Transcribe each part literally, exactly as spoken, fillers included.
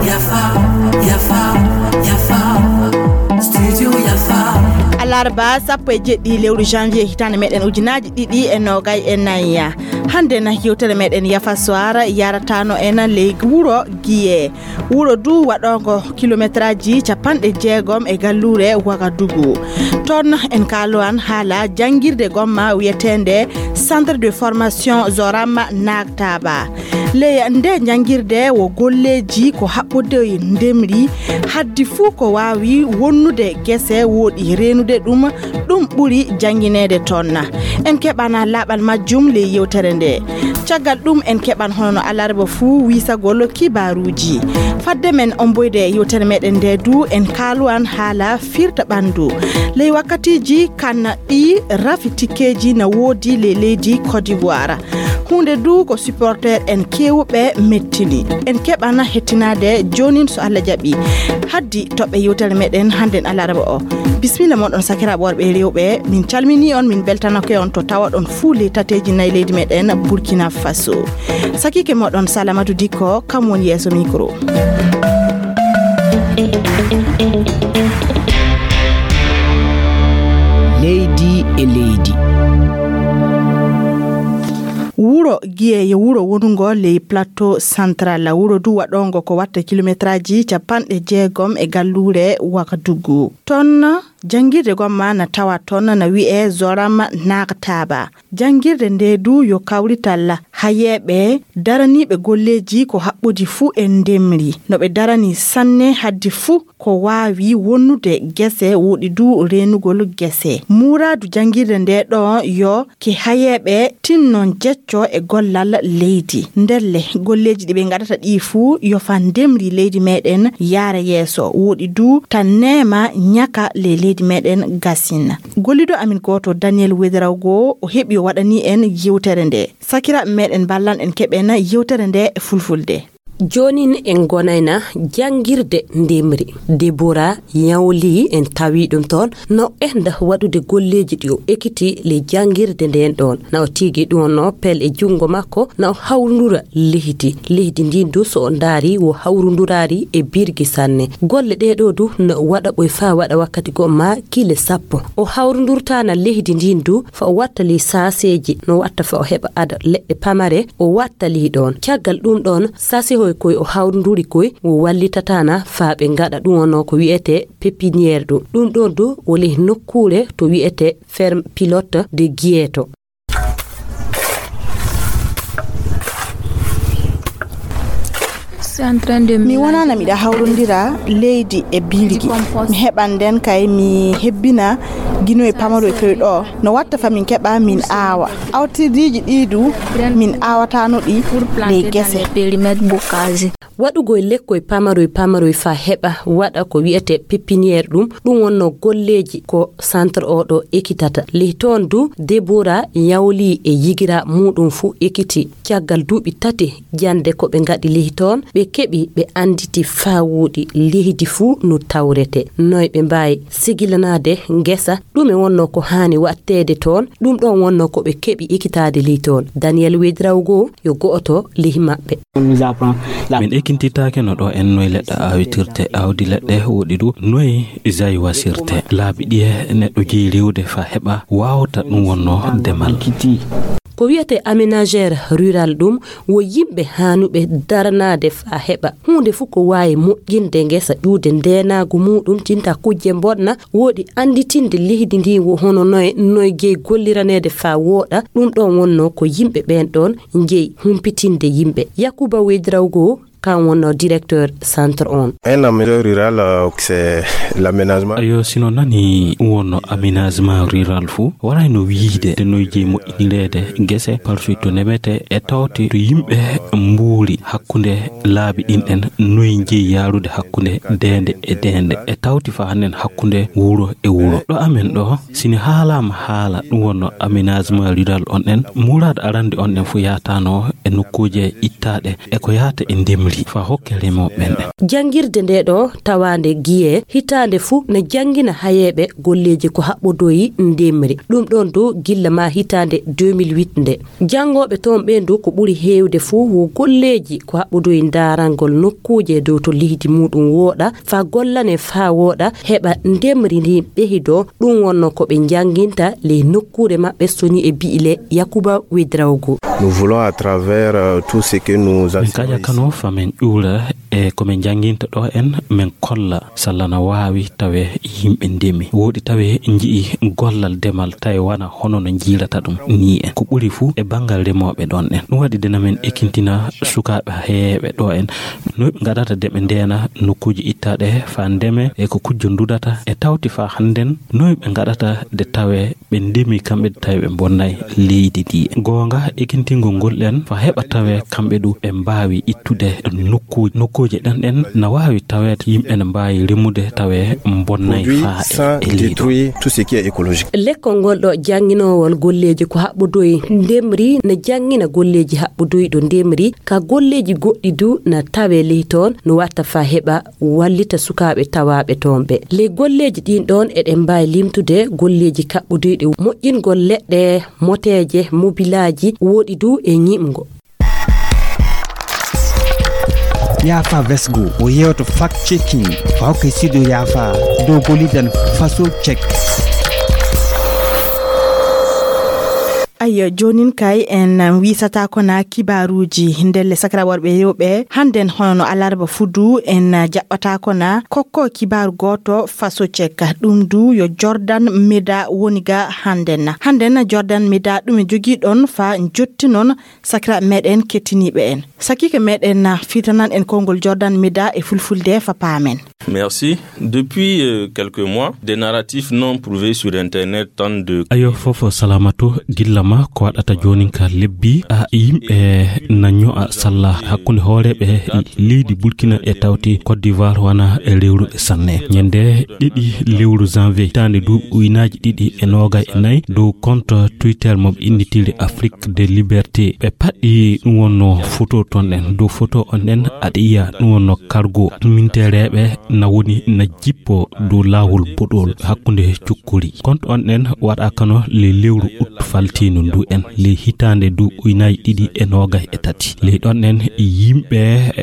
Yafa, yafa, yafa. Studio yafa. Alarba sappo e jeɗɗi lewru janvier hitaande meɗen ujunaaji ɗiɗi e noogay e nayi. Hannde na yewtere meɗen yafa soir yaratano en ley wuro Giye. Wuro du waɗoongo kilometraaji capanɗe jeegom e galluure Wagadugu. Toon en kaalowan haala janngirde gomma wiyeteende Centre de formation Zorama Nagtaba. Ley nde janngirde wo golleeji ko haɓɓude ndemri, haddi fuu ko waawi wonnude gese woɗi reenude ɗum, ɗum ɓuri janngineede toon. En keɓana laaɓal majjum ley yewtere nde. Caggal ɗum en keɓan hono no alarba fuu wiisagol kibaaruuji. Fadde men omboyde yewtere meɗen nde du en kaalwan haala firta ɓanndu. Ley wakkatiiji kan ɗi rafi tikkeeji na woodi ley leydi Côte d'Ivoire. Huunde du ko supporter en keewuɓe mettini. En keɓana hettinaade joonin so Allah jaɓi. Haddi toɓɓe yewtere meɗen hannden alarba o. Bismilla moɗon sakiraaɓe worɓe e rewɓe. Min calmini on, min beltanake on to tawaɗon fuu ley tateeji nayi leydi meɗen Burkina Faso. Sakiike moɗon Salamatu Dikko, kam woni yeeso micro. Leydi e leydi. Wuro Giye yo wuro wonungo ley Plateau Central. Wuro du waɗoongo ko watta kilometraaji capanɗe jeegom e galluure Wagadugu. Toon janngirde gomma na tawa toon na wi'ee Zoram Nagtaba. Janngirde nde du yo kawrital hayeeɓe daraniiɓe golleeji ko haɓɓodi fuu e ndemri. No ɓe darani sanne haddi fuu ko waawi wonnude gese woɗi du reenugol gese. Muuraadu janngirde nde ɗo yo ke hayeeɓe tinnon jecco e gollal leydi. Ndelle golleeji ɗi ɓe ngaɗata ɗi fuu yo fa ndemri leydi meɗen yaara yeeso. Woɗi du tan neema ñaka ley leydi meɗen gasina. Gollido amin gooto Daniel Wedrawgo o heɓi o waɗani en yewtere nde. Sakiraaɓe meɗen ballan en keɓen yewtere nde e fulfulde. Joonin en ngonayna janngirde ndemri. Debora Yawli en tawi ɗum toon, na o enda waɗude golleeji ɗi o ekiti ley janngirde ndeen ɗoon. Na o tigi ɗum no pel e junngo makko, na o hawrundura leydi. Leydi ndin du so o ndaari wo hawrunduraari e birgi sanne. Golle ɗee ɗoo du na o waɗa ɓoy faa waɗa wakkati goo ma kile sappo. O hawrundurtaana leydi ndin du fa o watta ley saaseeji, no watta fa o heɓa ada leɗɗe pamare, o watta ley ɗoon. Caggal ɗum ɗoon, saasehoy koy o hawrunduri koy, o wallitataana faa ɓe ngaɗa ɗum wonno ko wi'etee pépinière ɗum. Ɗum ɗoon du o ley nokkuure to wi'etee ferme pilote de Guieto. Mi wonaana miɗa hawrondira leydi e birgi. Mi heɓan nden kay mi hebbina ginoy pamaroy koy ɗo. No watta fa min keɓa min aawa. Awtirdiiji ɗii du min aawataano ɗi ley gese. Waɗugol lekkoy pamaroy pamaroy faa heɓa waɗa ko wi'etee pépinière ɗum, ɗum wonno golleeji ko centre oo ɗoo ekitata. Ley toon du Debora Yawli e yigira muuɗum fuu ekiti. Caggal duuɓi tati jannde ko ɓe ngaɗi ley toon, ɓe keɓi ɓe annditi faa wooɗi leydi fuu no tawretee. Noy ɓe mbaawi sigilanaade ngesa, ɗume wonno ko haani waɗteede toon, ɗum ɗoon wonno ko ɓe keɓi ekitaade ley toon. Daniel Wedrawgo yo go'oto ley maɓɓe. Min ekintitaake no ɗo en noy leɗɗe awitirte, awdi leɗɗe woɗi du, noy jayi wasirte. Laabi ɗiye neɗɗo jeyi rewde fa heɓa waawta ɗum wonno demal. Ko wiyetee aménageur rural ɗum wo yimɓe haanuɓe daranaade fa heɓa huunde fuu ko waawi moƴƴinde ngesa ƴuude ndeenaagu muuɗum tinta kujje mboɗna woɗi annditinde leydi ndi wo hono noye, noye jeyi golliraneede fa wooɗa. Ɗum ɗoon wonno ko yimɓe ɓeen ɗoon jeyi humpitinde yimɓe. Yakuba Wedrawgo, kan wonno directeur centre on. Un aménageur rural, euh, c'est l'aménagement. Ayo, sino nani ɗum wonno aménagement rural fuu, warayno wiide nde noye jeyi moƴƴinireede gese, parsuy to nemete e tawte to yimɓe mbuuri hakkunde laabi ɗin ɗen, noye jeyi yaarude hakkunde deende e deende, e tawti fa hannden hakkunde wuro e wuro. Ɗo amen ɗo, sini haalaama haala ɗum wonno aménagement rural on ɗen, muraad arande on ɗen fuu yaatano e nokkuuje ittaaɗe e ko yaata e ndemri. fa hokke remooɓe ɓen. Janngirde nde ɗo tawaande Giye hitaande fuu na janngina hayeeɓe golleeji ko haɓɓodoyi ndemri. Ɗum ɗon dow gilla ma hitaande deux mille huit nde. Janngooɓe toon ɓeen dow ko ɓuri heewde fuu wo golleeji ko haɓɓodoyi ndaarangol nokkuuje dow to leydi muuɗum wooɗa, fa gollane faa wooɗa, heɓa ndemri ndin ɓehidoo. Ɗum wonno ko ɓe njannginta ley nokkuure maɓɓe soni e bi'ile Yakuba Wedraogo. Nous voulons à travers, euh, tout ce que nous Min kaƴa kano fa min ƴuura e ko min njannginta ɗo en, min kolla salla na waawi tawe yimɓe ndemi. Wooɗi tawe nji'i gollal demal tawi wana hono no njiirata ɗum ni en. Ko ɓuri fuu e banngal remooɓe ɗon en. Ɗum waɗi de na min ekintina sukaaɓe heeɓe ɗo en. No ɓe ngaɗata de ɓe ndeena nokkuuji ittaaɗe fa ndeme e ko kujjo ndudata e tawti fa hannden no ɓe ngaɗata de tawe ɓe ndemi kamɓe tawi ɓe mbonnay leydi ndi. Goonga, ekintingol ngol ɗen fa heɓa tawe kamɓe ɗu ɓe mbaawi ittude nokkuuji. Nokkuuje ɗen ɗen na waawi taweede yimɓe ne mbaawi remude tawe mbonnay faa e leydi. Tout ce qui est écologique. Lekkol ngol ɗo jannginoowol golleeji ko haɓɓodoyi ndemri na janngina golleeji haɓɓodoyi ɗo ndemri ka golleeji goɗɗi du na tawe ley toon no watta fa heɓa wallita sukaaɓe tawaaɓe toon ɓe. Ley golleeji ɗin ɗoon eɗen mbaawi limtude golleeji kaɓɓoduyɗi moƴƴingol leɗɗe, moteeje, mobilaaji, woɗi du e ñiiɓngo. Yaafa Vesgo o yewto fact checking fa hokke sido yaafa dow golidan faso check. Ayyo, joonin kay en wisataako na kibaaruuji ndelle sakra worɓe e rewɓe. Hannden hono no alarba fudu en jaɓɓataako na kokko kibaaru gooto faso cek. Ɗum du yo Jordan Meda woni ga hannden na. Hannden na Jordan Meda ɗum e jogii ɗon fa jotti non sakra meɗen kettiniiɓe en. Sakiike meɗen na fitanan en konngol Jordan Meda e fulfulde fa paamen. Merci. Depuis, euh, quelques mois, des narratifs non prouvés sur Internet tentent de Ayo fofo salamatu gilla ma ko waɗata joonin ka lebbi a yimɓe na ño'a salla hakkunde hooreeɓe leydi Burkina e tawti Côte d'Ivoire wana e rewruɓe sanne. Ñande ɗiɗi lewru janvier hitaande duuɓi ujunaaji ɗiɗi e noogay e nayi dow compte Twitter mo ɓe innitiri Afrique de Liberté. Ɓe paɗɗi ɗum wonno photo ton ɗen. Dow photo on ɗen aɗa yiya ɗum wonno cargo mintereeɓe na woni na jippo dow laawol boɗol hakkunde cukkuri. Compte on ɗen waɗa kano le lewru août faltiino ndu en le hitaande duuɓi ujunaaji ɗiɗi e noogay e tati. Ley ɗon ɗen yimɓe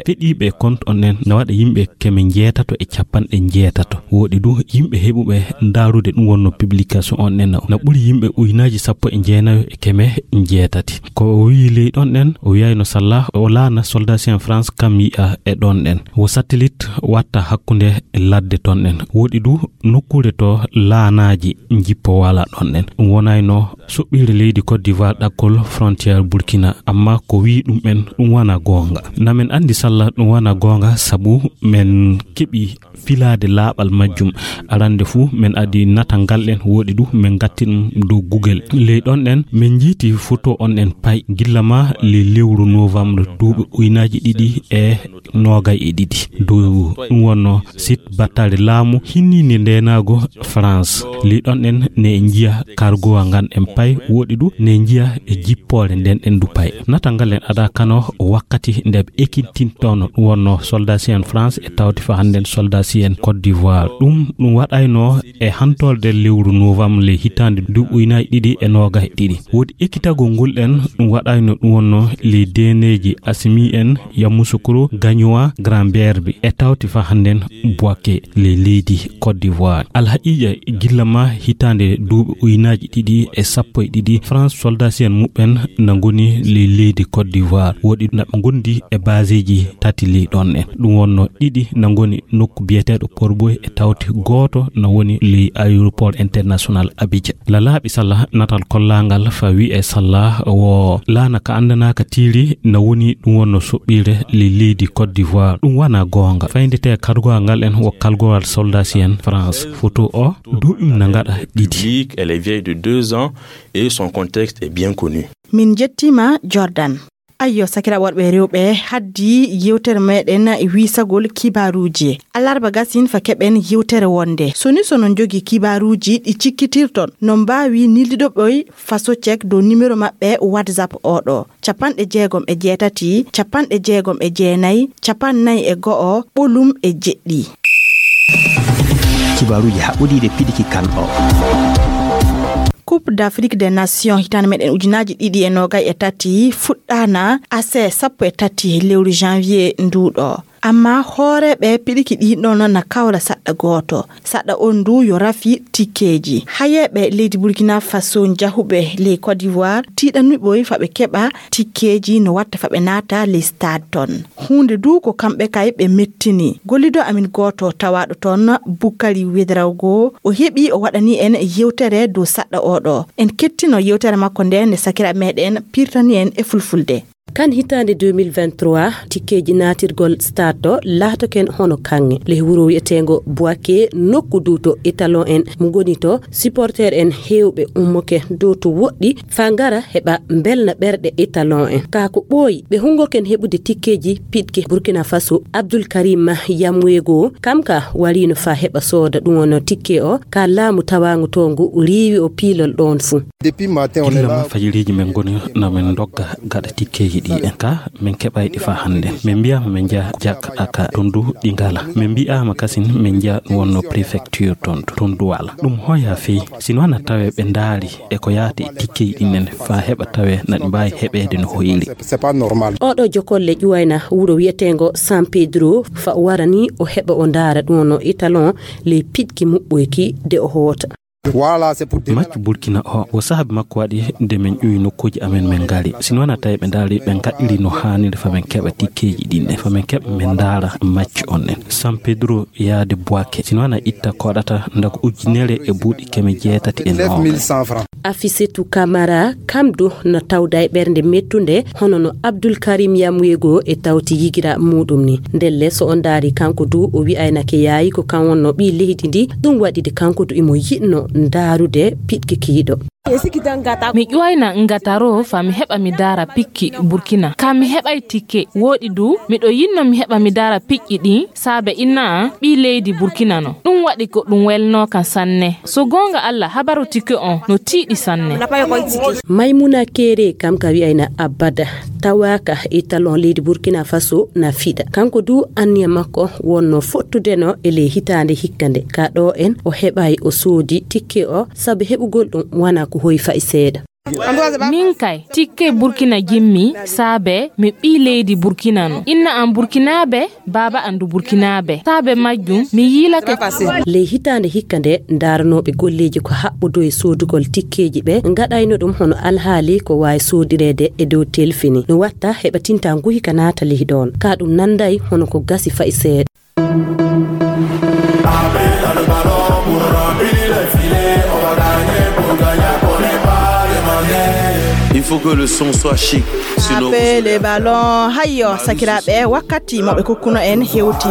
feɗiiɓe compte on ɗen na waɗa yimɓe keme njeetato e capanɗe njeetato. Woɗi du yimɓe heɓuɓe ndaarude ɗum wonno publication on ɗen na ɓuri yimɓe ujunaaji sappo e jeenayo e keme njeetati. Ko o wiyi ley ɗon ɗen o wiyayno salla o laana soldat en France kam yi'a e ɗon ɗen. Wo satellite watta hakkunde ladde ton ɗen. Woɗi du nokkuure to laanaaji jippo wala ɗon ɗen. Ɗum wonayno soɓɓiire leydi Côte d'Ivoire ɗakkol frontière Burkina. Amma ko wiyi ɗum en ɗum wana goonga. Na men anndi salla ɗum wana goonga sabu men keɓi filaade laaɓal majjum. Arande fuu men adi natal ngal ɗen woɗi du men gatti ɗum dow Google. Ley ɗon ɗen men njiiti photo on ɗen pay gilla ma ley lewru novembre duuɓi ujunaaji ɗiɗi e noogay e ɗiɗi. Dow ɗum wonno site battale laamu hinniinde ndeenaago France. Ley ɗon ɗen ne njiya cargo ngan en pay woɗi du ne njiya e jippoore nden ɗen du pay. Natal ngal en ada kano wakkati nde ɓe ekintintono ɗum wonno soldat en France e tawti fa hannden soldat en Côte d'Ivoire. Ɗum ɗum waɗayno e hantorde lewru novembre le hitaande duuɓi ujunaaji ɗiɗi e noogay e ɗiɗi. Woodi ekitagol ngol ɗen ɗum waɗayno ɗum wonno le deneeji Asimi en Yamoussoukro Gagnoa Grand Berbe e tawti fa hannden Bouaké le leydi Côte d'Ivoire. Alhaqiiqa gilla ma hitaande duuɓi ujunaaji ɗiɗi e sappo e ɗiɗi France soldat en muɓɓen na ngoni le leydi Côte d'Ivoire. Woodi na ɓe ngondi e baseeji tati ley ɗon en. Ɗum wonno ɗiɗi na ngoni nokku biyeteeɗo Porboy e tawti gooto na woni ley aéroport international Abidjan. Lalaaɓi salla natal kollaangal fa wi'e salla wo laana ka anndanaaka tiiri na woni ɗum wonno soɓɓiire ley leydi Côte d'Ivoire. Ɗum wana goonga. Fayndete kargowal ngal en wo kalgowal soldat en France. Photo o duuɓi na ngaɗa ɗiɗi. Public, elle est vieille de deux ans et son contexte est bien connu. Min njettiima Jordan. Ayyo, sakira worɓe e rewɓe, haddi yewtere meɗen wisagol kibaruji. Alarba gasin fa keɓen yewtere wonde. Soni sono jogi kibaruji ɗi cikkitirton, no mbawi nilliɗo ɓoy faso cek dow numéro maɓɓe WhatsApp oɗo: capanɗe jeegom e jeetati, capanɗe jeegom e jeenayi, capannayi e go'o, ɓolum e jeɗɗi. Kibaruji haɓɓodiɗe piɗiki kan o. Coupe d'Afrique des Nations hitande meɗen ujunaji ɗiɗi e nogay e tati fuɗɗana ase sappo e tati lewru janvier nduɗo. Amma hooreɓe piɗiki ɗi ɗon na kawra saɗɗa gooto. Saɗɗa on ndu yo rafi tikkeji. Hayeɓe leydi Burkina Faso jahuɓe ley Côte d'Ivoire tiɗanuɓoy fa ɓe keɓa tikkeji no watta fa ɓe naata ley stade ton. Hunde du ko kamɓe kay ɓe mettini. Gollido amin gooto tawaɗo ton, Bukari Wedrawgo, o heɓi o waɗani en yewtere dow saɗɗa oɗo. En kettino yewtere makko nde nde sakira meɗen pirtani en e fulfulde. Kan hitande deux mille vingt-trois, tikkeji natirgol stade to latoken hono kanŋe. Ley wuro wi'etengo Boake, nokku du to étalon en mo ngoni to, supporter en hewɓe ummoke dow to woɗɗi, fa ngara heɓa mbelna ɓerɗe étalon en. Ka ko ɓooyi, ɓe hungoken heɓude tikkeji piɗke Burkina Faso, Abdul Karim Yamwego, kam ka warino fa heɓa sooda ɗum wonno tikke o, ka laamu tawangu to ngu riiwi o piilol ɗon fu. Depuis matin, on est Gilla là. Ma fajiriji men ngoni na men dogga gaɗa tikkeji ɗi en ka men keɓay ɗi fa hande. Men mbiyama men nja jak aka tondu ɗi ngala. Men mbiyama kasin men nja wonno préfecture tondu, tondu wala. Ɗum hoya fii, sino ana tawe ɓe ndaari e ko yaati e tikkeji ɗin nen fa heɓa tawe na ɗi mbaawi heɓeede no hoyiri. C'est pas normal. Oɗo jokolle ƴuwayna wuro wi'etengo San Pedro fa o warani o heɓa o ndaara ɗum no étalon ley piɗki muɓɓoyki de o hoota. Voilà, c'est pour dire. Maccu Burkina o, o saabi makko waɗi de men ƴuwi nokkuuji amen men ngari. Sino wona tawi ɓe ndaari, ɓe ngaɗiri no haaniri fa men keɓa tikkeeji ɗin ɗen, fa men keɓa men ndaara maccu on ɗen. San Pedro yaade Boake. Sino wona itta koɗata ndaga ujunere e buuɗi keme jeetati e noogas. Neuf mille cent francs. Afisetu Kamara, kam du no tawda e ɓernde mettunde, hono no Abdul Karim Yamwego e tawti yigira muɗum ni. Ndelle so on ndaari kanko du o wi'aynake yaayi ko kan wonno ɓii leydi ndi, ɗum waɗi de kanko du imo yiɗno ndaarude piɗki kiiɗo. Mi ƴuwayna ngataro fa mi heɓa mi daara pikki Burkina. Ka mi heɓay tikke, woɗi du, miɗo yinno mi heɓa mi daara piƴƴi ɗin, saabe inna an ɓii leydi Burkina no. Ɗum waɗi ko ɗum welnoo kan sanne. So goonga Alla, habaru tikke on no tiiɗi sanne. Maymuna Kere kam ka wi'ayna abada tawaaka e talon leydi Burkina Faso na fiɗa. Kanko du anniya makko wonno fottudeno e ley hitaande hikka nde. Ka ɗo en o heɓay o soodi tikke o, sabu heɓugol ɗum wana ko hoy fa'i seeɗa. Min kay, tikke Burkina jimmi, saabe mi ɓii leydi Burkina no. Inna an Burkinaabe, baaba an du Burkinaabe. Saabe majjum, mi yiilake. Ley hitaande hikka nde, daaranooɓe golleeji ko haɓɓodoo e soodugol tikkeeji ɓe, ngaɗayno ɗum hono alhaali ko waawi soodireede e dow telfini. No watta heɓa tinta nguhi ka naata ley ɗoon. Ka ɗum nanday hono ko gasi fa'i seeɗa. Il faut que le son soit chic. Sinon, vous... Appelez ballon. Hayyo, sakiraaɓe, wakkati mo ɓe kokkuno en hewti.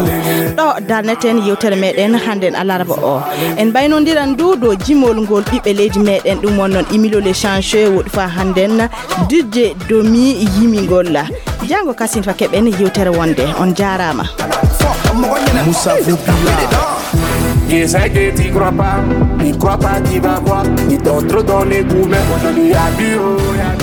Ɗo darneten yewtere meɗen hannden alarba o. En mbaynondiran ndu dow jimol ngol ɓiɓɓe leydi meɗen, ɗum won noon Emilio Lechange, woɗi fa hannden D J Domi yimingol. Janngo kasin fa keɓen yewtere wonde. On jaaraama. Moussa Voukila. Yes, I get it, crois pas. Il croit pas qu'il va voir. Il t'entre dans les goûts, mais aujourd'hui, il y a du haut, il y a